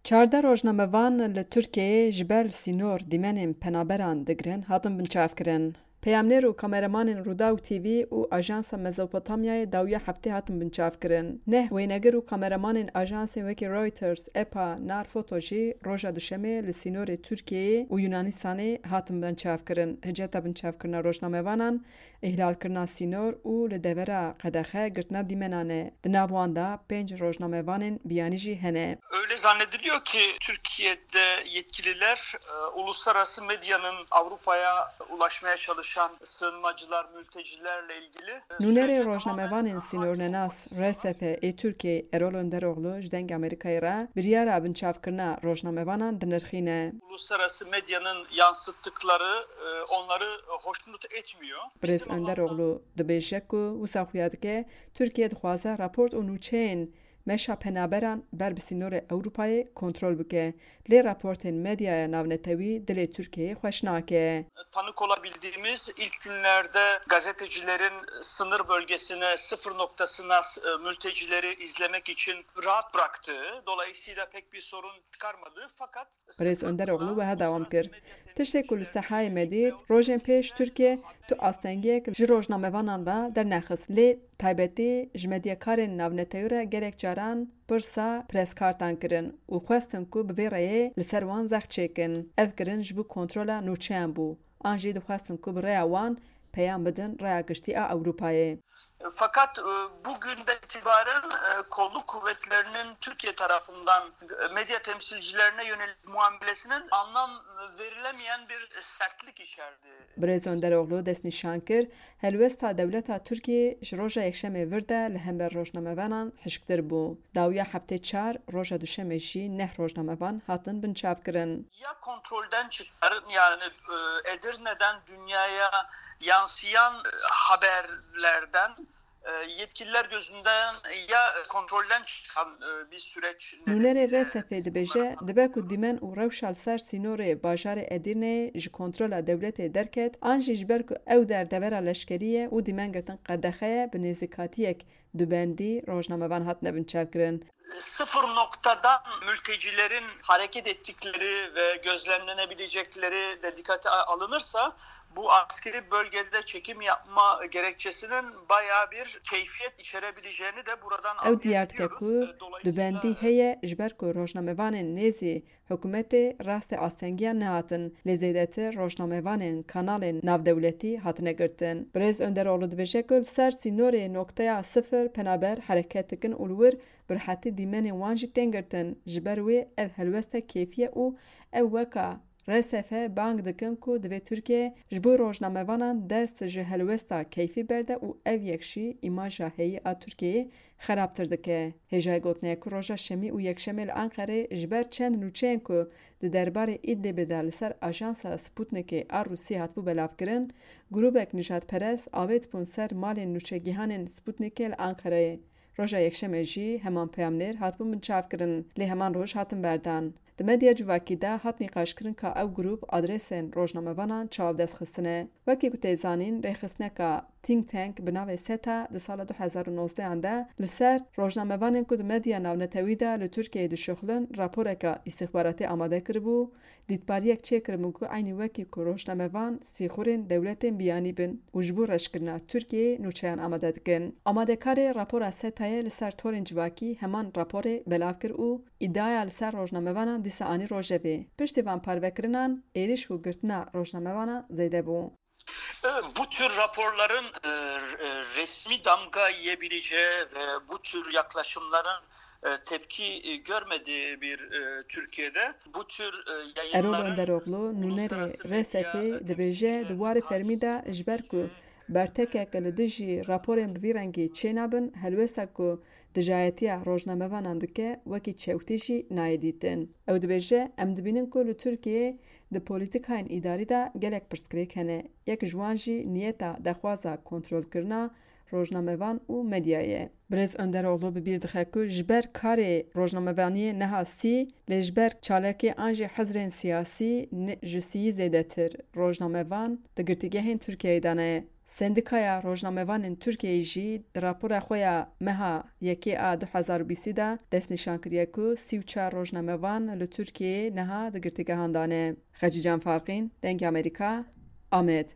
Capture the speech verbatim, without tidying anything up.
Çardeh rojnamevan li Tirkiyeyê ji ber li sînor dîmenên penaberan digirin, hatin binçavkirin. Peyamnêr û kameramanên Rûdaw T V û Ajansa Mezopotamyayê dawiya heftê hatin binçavkirin. Neh wênegir û kameramanên ajansên wekî Reuters, epa, Narfoto jî roja Duşemê li sînorê Tirkiyeyê û Yunanistanê hatin binçavkirin. Hiceta binçavkirina rojnamevanan îhlalkirina sînor û li devera qedexe girtina dîmenan e. Di nav wan de pênc rojnamevanên biyanî jî hene. Öyle zannediliyor ki Türkiye'de yetkililer e, uluslararası medyanın Avrupa'ya ulaşmaya çalışan sığınmacılar, mültecilerle ilgili e, Nûnerê sürece rojnamevanên sînornenas R S F ê Tirkiyeyê Erol Önderoğlu ji Dengê Amerîkayê re biryara binçavkirina rojnamevanan dinirxîne. Uluslararası medyanın yansıttıkları e, onları hoşnut etmiyor. Birêz Bizim Önderoğlu dibêje ku wisa xuya dike Tirkiye dixwaze raport û nûçeyên meşa penaberan ber bi sînorê Ewropayê kontrol bike. Lê raportên medyaya navnetewî dilê Tirkiyeyê xweş nake. Tanık olabildiğimiz ilk günlerde gazetecilerin sınır bölgesine, sıfır noktasına e, mültecileri izlemek için rahat bıraktığı, dolayısıyla pek bir sorun çıkarmadığı fakat Birêz Önderoğlu wiha dewam kir. Tiştê ku li Sehayê me dît, rojên pêş Tirkiye tu astengiyek ji rojnamevanan re dernexist. Lê taybetî ji medyakarên navnetewî re gelek caran pirsa preskartan kirin û xwestin ku bi vê reyê li ser wan zext çêkin. Ev kirin ji bo kontrola nûçeyan bû. An jî dixwestin ku bi rêya wan peyam bidin rêya giştî a Ewropayê. Fakat e, bugünden itibaren e, kolluk kuvvetlerinin Türkiye tarafından e, medya temsilcilerine yönelik muamelesinin anlam verilemeyen bir sertlik içerdi. Birêz Önderoğlu destnîşan kir, helwesta dewleta Tirkiyê ji roja Yekşemê vir de li hember rojnamevanan hişktir bû. Dawiya heftê çar, roja Duşemê jî neh rojnamevan hatin binçavkirin. Ya kontrolden çıkar, yani e, Edirne'den dünyaya yansıyan e, haberlerden e, yetkililer gözünden ya kontrolden çıkan e, bir süreç Nûnerê nedeniyle R S F dibêje, dibe ku dîmen û rewşa li ser sînorê bajarê Edirneyê ji kontrola dewletê derket, an jî ji ber ku ew der devera leşkerî ye û dîmen girtin qedexe ye, bi nêzîkatiyek dubendî rojnamevan hatine binçavkirin. Sıfır noktadan mültecilerin hareket ettikleri ve gözlemlenebilecekleri de dikkate alınırsa, bu askeri bölgede çekim yapma gerekçesinin bayağı bir keyfiyet içerebileceğini de buradan Ew diyar dike anlayabiliyoruz. ku E, dolayısıyla dubendî heye, ji ber ku rojnamevanên nêzî hikûmetê rastê astengiyan nehatin, lê zêdetir rojnamevanên kanalên navdewletî hatine girtin. Birêz Önderoğlu dibêje ku li ser sînorê nokteya sifir penaber hereket dikin û li wir bi rehetî dîmenên wan jî tên girtin. Ji ber wê ev helwestek keyfî ye û ew weka R S F bang dikin ku divê Tirkiye ji bo rojnamevanan dest ji helwesta keyfî berde û ev yek jî îmaja heyî a Tirkiyeyê xerabtir dike. Hêjayê gotinê ye ku roja Şemî û Yekşemê li Enqerê ji ber çend nûçeyên ku di derbarê Îdlibê de li ser ajansa Sputnikê a Rûsî hatibû belavkirin, grûbek nijadperest avêt bûn ser malên nûçegihanên Sputnikê li Enqereyê. Roja Yekşemê jî heman peyamnêr hatibûn binçavkirin, lê heman roj hatin berdan. Di medya civakî de hat nîqaşkirin ka ew grûp adresên rojnamevanan çawa bi dest xistine. Wekî ku tê zanîn, rêxistineka think tank bi navê SETA di sala du hezar û nozdeh de li ser rojnamevanên ku di medya navnetewî de li Tirkiyeyê dişuxulin raporeka îstixbaratî amade kiribû, dîtbariyek çêkiribû ku eynî wekî ku rojnamevan sîxurên dewletên biyanî bin û ji bo reşkirina Tirkiyeyê nûçeyan amade dikin. Amadekarê rapora SETAyê li ser torên civakî heman raporê belav kir û îdiaya li ser rojnamevanan dîsa anî rojevê. Piştî van parvekirinan êrîş û girtina rojnamevanan zêde bû. E, Bu tür raporların e, e, resmi damga yiyebileceği ve bu tür yaklaşımların e, tepki e, görmediği bir e, Türkiye'de bu tür e, Erol yayınların Önderoğlu, nûnerê uluslararası medya R S F'ê, dibêje, temsilcileri di warê fermî de ji ber ku bertekek li dijî raporên bi vî rengî çênabin, helwesta ku dijayetiya rojnamevanan dike, wekî çewtî jî nayê dîtin. Ew dibêje, em dibînin ku li Tirkiyeyê di polîtîkayên îdarî de gelek pirsgirêk hene. Yek ji wan jî niyeta dexwaza kontrolkirina rojnamevan û medyayê ye. Birêz Önderoğlu bi bîr dixe ku ji ber karê rojnamevaniyê neha sî, lê ji ber çalakê an jî hizrên siyasî ne-, ji sîyî zêdetir rojnamevan di girtîgehên Tirkiyeyê de ne. Sendîkaya Rojnamevanên Tirkiyeyê jî di rapora xwe ya meha yekê a du hezar û bîstî de destnîşan kiriye ku sî û çar rojnamevan li Tirkiyeyê niha di girtîgehan de ne. Xecîcan Farqîn, Dengê Amerîka, Amed.